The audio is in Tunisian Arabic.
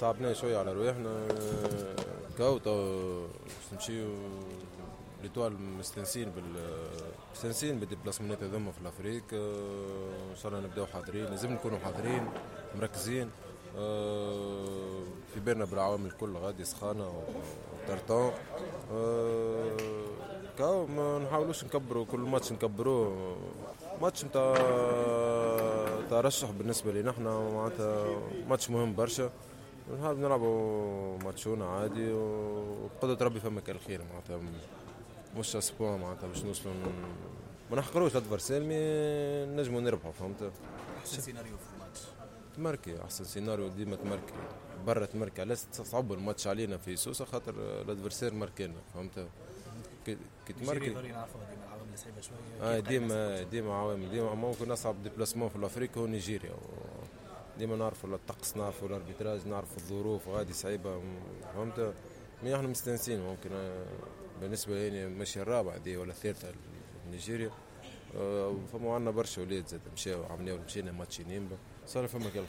صعبنا شوية على رواحنا. كاو تو باش نمشيو l'Étoile مستانسين بال déplacement ات هذوما في l'Afrique. ان شاء الله نبداو حاضرين، لازم نكونوا حاضرين مركزين. في بالنا بالعوامل الكل، غادي سخانه و tartan. كاو ما نحاولوش نكبروا كل ماتش، نكبروه. ماتش نتاع ترشح بالنسبة لنا احنا، معناتها ماتش مهم برشا. نحاول نلعبوا ماتشونا عادي وبقدرة ربي فما كان الخير. معناتها مش à ce point معناتها باش نوصلوا ما نحقروش l'adversaire، mais نجموا نربحوا، فهمت؟ احسن سيناريو في الماتش؟ تماركي، احسن سيناريو ديما تماركي برا. تماركي، علاش تصعب الماتش علينا في سوسه؟ خاطر l'adversaire ماركينا، فهمت؟ كي تماركي نعرفوا ديما العوامل صعيبة شويه. ديما ديما عوامل، ديما ممكن اصعب déplacement في l'Afrique هو نيجيريا. ديما نعرفوا الطقس، نعرفوا l'arbitrage، نعرفوا الظروف غادي صعيبه، فهمت؟ mais احنا مستانسين. ممكن بالنسبة لي ماشي الرابعة دي ولا الثالثة نيجيريا. فما عندنا برشا ولاد زاد مشاو عملناو، مشينا ماتش نيمبا، صار فما كل خير.